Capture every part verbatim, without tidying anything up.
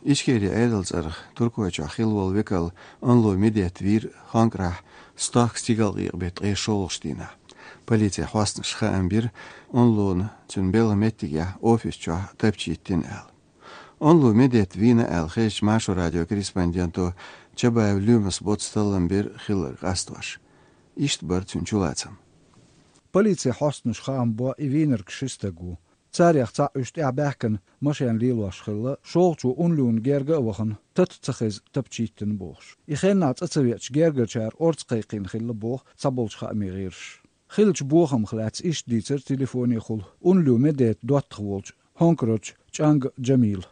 Ичкери Ӏедал цӀарах Туркойчохь хилла волу векал Онлу Медет вийра Хонкарахь стохка стигалкъекъа беттан ткъе шолгӀачу дийнахь. Полицин хьосташа хаам бира, Онлуна цуьнан белхан меттигехь офис чохь тапча йиттина аьлла. Онлу Медет вийна аьлла хезча, Маршо радион корреспонденто Чабаев Лоьмас боцца таллам бира хилларг къастош. Иштта бара цуьнан чулацам. Полицин хьосташа хаам бо и вийнарг ши стаг ву. Царех цхьаъ уьш тӀаьхьа баьхкина машен лелош хилла, шолгӀачо Онлуна герга а вахана, тата ца хеза тапча йиттина бохуш. И хеннахь цӀа ца веача, гергарчара орца кхайкхийна хилла боху цхьаболчу хаамийн гӀирсаша. Хиллачу бохамах лаьцна иштта дийцира телефонехула Онлу Медетан доттагӀа волчу Хонкарарчу ЧӀанга Джамила.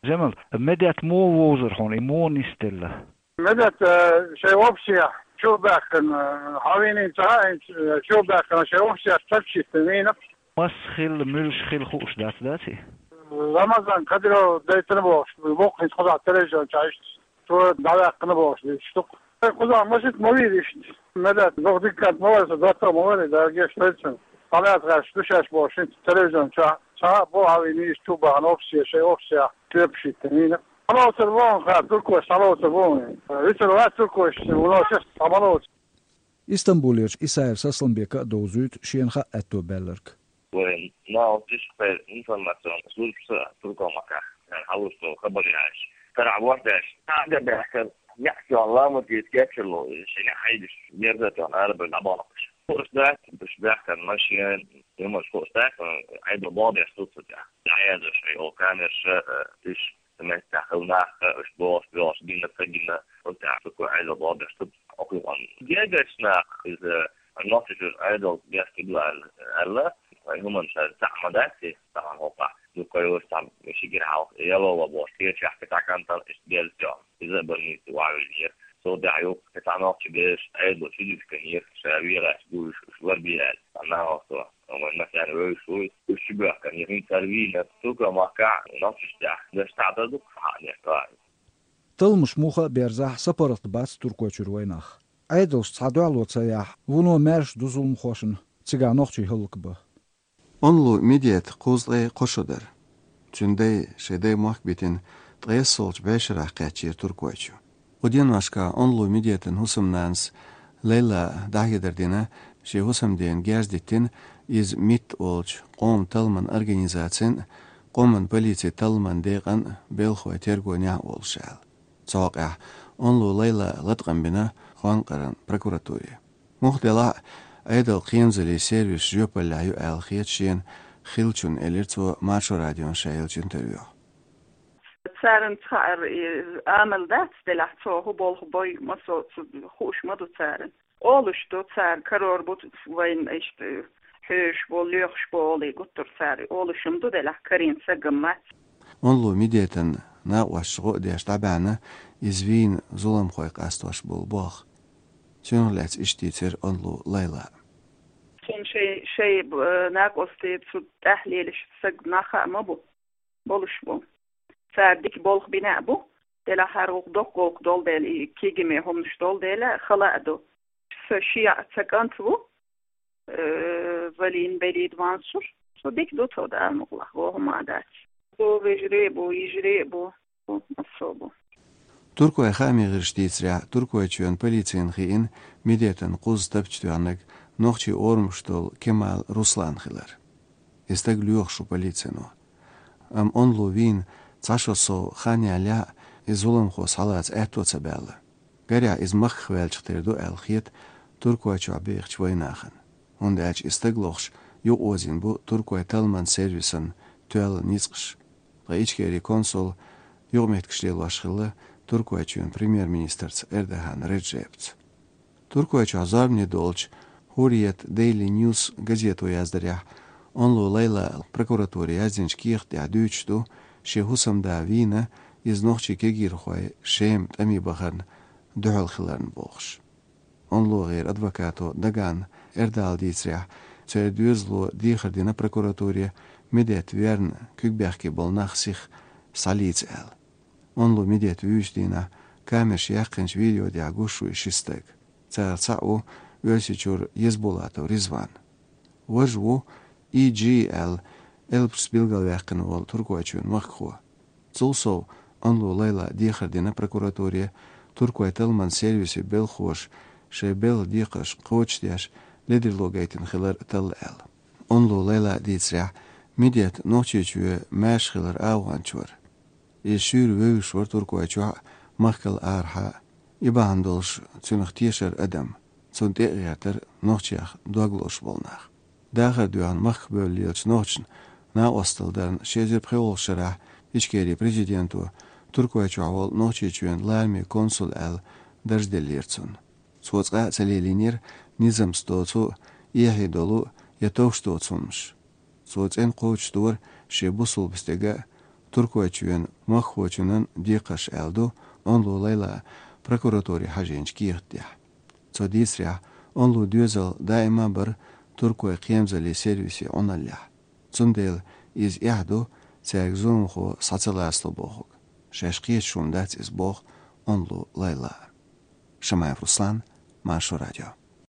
Джамил, Медет муха вовзара хьуна, и муха нисделла? Медет, э, шайн общех чу баьхкина, э, хьан вийна ца хаьа, э, чу баьхкина шайн общех тапча йиттина вийна. Мас хилла, муьлш хилла хууш дац, дац и? Рамазан Кадыров дайтина бохуш, боккхийца кхузахь телевизион чу иштта. Цо дӀаваьккхина бохуш дийцича ду-кх. Кхузахь машин ма вийра иштта. Медет, дукха дика кӀант ма вара, сан доттагӀа ма вара, Дала гечдойла цунна. Къамел тхаьш ду шаьш бохуш, хӀинца телевизион чохь ца хаьа боху, хьан вийна иштта чу баьхкина общех, шайн общех тапча йиттина вийна. Схьалоцур бу хьуна, хӀара туркойш схьалоцур бу хьуна. Вуьсур вац туркойш, вуно шех схьа ма лоцу. Истамбулерчу Исаев Сасламбека а довзуьйту шена хаа аьтто баьлларг. Вайн наха тишкъе информационный службаца Туркойн махкахь, цара хьалуш долу хабар яьлча, карахь ворхӀ даьлча, цхьа а баьхкина, неӀ тоьхна ламаз дийца кечйина, шен неӀ хьайгаш, мерза тоьхна арабевлла дӀабахана уьш. Хууш дац, уьш баьхкина машен, хӀуманаш хууш дац, Ӏедал боху деш ду цу тӀехь. ДӀаязъеш, ай, оха камераш, э, уьш меттехь хилла нах, уьш бохуш, бохуш, гина, ца гина, оцу тӀехь цу Ӏедал боху деш ду, оха юкъана. Гергарчу наха иза Нохчийчуьра Ӏедал беш ду аьлла, аьлла, вайн хӀуманаш цхьаъ ма дац и, цхьана хӀокхахь, дукха йолуш цхьа ши гира хьалха яло ван бохуш, кхечахь кхин цхьа кӀантана иштта герза тоьхна, иза а больнице охьавиллинера. Цул тӀаьхьа юха кхин цхьа нохчи бераш Ӏедало чу дитина хир, ша вехаш бу уьш, уьш лар бе аьлла, цхьа нахалца, вайн массарна вевзаш ву, уьш чу боьхкина, хӀинца цара вийна, Туркойн махкахь, нохчашна тӀехь, даш цхьаъ дан дукха хьаъ деш вац. Талламаш муха а берзахь, сапаргӀат бац Туркойчуьра вайнах. Ӏедалша цхьа дуьхьало ца яхь, вуно маьрша ду зуламхошна цигахь нохчий хӀаллакбан. Онлу Медета кхузткъе кхо шо дара. Цуьнан дай шайн дай мохк битина ткъессолгӀачу бӀешарахь кхаьчнера Туркойчу. Кху деношкахь Онлу Медетан хӀусамнанас Лайла дӀахьедар дина, шен хӀусамдена герз диттина, иза МИТ олучу къоман талламан организацин а, къоман полицин талламан декъан а белхахой тергонехь а волуш аьлла. Цу хьокъехь Онлу Лайла латкъам бина Хонкаран прокуратуре. Муха делахь а, Ӏедалан кхерамзаллин сервисаш жоьпаллехь ю аьлла хета шена хиллачунна, элира цо Маршо радиона ша еллачу интервьюхь. Царна цхьаъ а, и, амал дац делахь, цо хӀун болх бой, массо а цу хууш ма ду царна. Олуш ду цара, карор бу вайна иштта хьоьжуш бу, лоьхуш бу олий гуттар цара. Олуш-м ду делахь, карийна саг-м вац. Онлу Медетан накъосташа гӀо а деш дӀабаьхьна иза вийна зуламхой къастош болу болх. Цунах лаьцна иштта дийцира Онлу Лайла. Цунна шай, шай, э, накъостий цу тӀехь лелаш саг нах хаа ма бу, болуш бу. Цара дика болх бина а бу, делахь хӀара гӀуллакх доккха гӀуллакх долу дела, и кегий хӀуманаш долу дела, хала а ду. Сан шиъ а ца кӀант ву, э, Валин Белид ван сур. Со дика ду тхо, Дала мукъалахь, вон хӀума а дац. Со вежарий а бу, йижарий а бу, бу, массо а бу. Туркойн хаамийн гӀирсаша дийцарехь, Туркойчоьнан полицина хиъна Медетан кхузза тапча тоьхнарг нохчийн орамаш долу Кемал Руслан хилар. И стаг лоьхуш ву полицино. Амма Онлу вийна цхьа шо сов хан ялале а, и зуламхо схьалаца аьтто ца баьлла. Гарехь, иза махках ваьллачух тера ду аьлла хета Туркойчохь бехачу вайнахана. ХӀунда аьлча и стаг лохуш юкъаозийна бу Туркойн талламан сервисан тоьлла ницкъаш. Ткъа Ичкерин консул юкъаметтигаш лелош хилла Туркойчоьнан премьер-министрца Эрдоган Реджепца. Туркойчохь зорбане долчу Hurriyet Daily News газето яздарехь, Онлу Лайла прокуратуре яздинчу кехат тӀехь дуьйцуш ду, шен хӀусамда вийна, иза нохчийн кегийрхой Шема тӀаме бахарна дуьхьал хиларна бохуш. Онлугера адвокато Даган Эрдала дийцарехь, церан доьзало дехар дина прокуратуре, Медет верна куьг бехке болу нах сиха схьалийца аьлла. Онлу Медет вуьйчу дийнахь камераш яьккхинчу видео тӀехь гуш ву и ши стаг. Царах цхьаъ ву Оьрсийчуьра Езбулатов Ризван. Важа ву И Джи аьлла, элпашца билгалваьккхина волу Туркойчоьнан махкахо. Цул сов, Онлу Лайла дехар дина прокуратуре, Туркойн талламан сервисийн белхалоша шоай белла декхарш кхочушдеш ледарло гайтина хилар талла аьлла. Онлу Лайла дийцарехь, Медет Нохчийчоь маьрша хилар агӀонча вара. Иза шуьйра вевзаш вара Туркойчохь а, махкал арахьа а. И бахьана долуш цунах тешара адам, цунна тӀе а гӀертара нохчех дог лозуш болу нах. Дахар доьхна махках бевллачу нохчашна накъосталла дарна ши эзар пхоьалгӀачу шарахь Ичкерин президенто Туркойчохь волу Нохчийчоьнан лараме консул аьлла дарж деллера цунна. Цо цкъа а ца лелийнера низамца доцу, эхье долу я товш доцу хӀуманаш. Цо цӀена кхочушдора шен бусулба стеган а, Туркойчоьнан махкахочунан а декхарш аьлла ду Онлу Лайла прокуратуре хьажийначу кехат тӀехь. Цо дийцарехь, Онлун доьзал даима а бара Туркойн кхерамзаллин сервисийн Ӏуналлехь. Цундела иза эхь ду цаьрга зуламхо схьа ца лацало бохург. Шаьш кхеташ хӀума дац иза, боху Онлу Лайла. Шамаев Руслан, Маршо радио.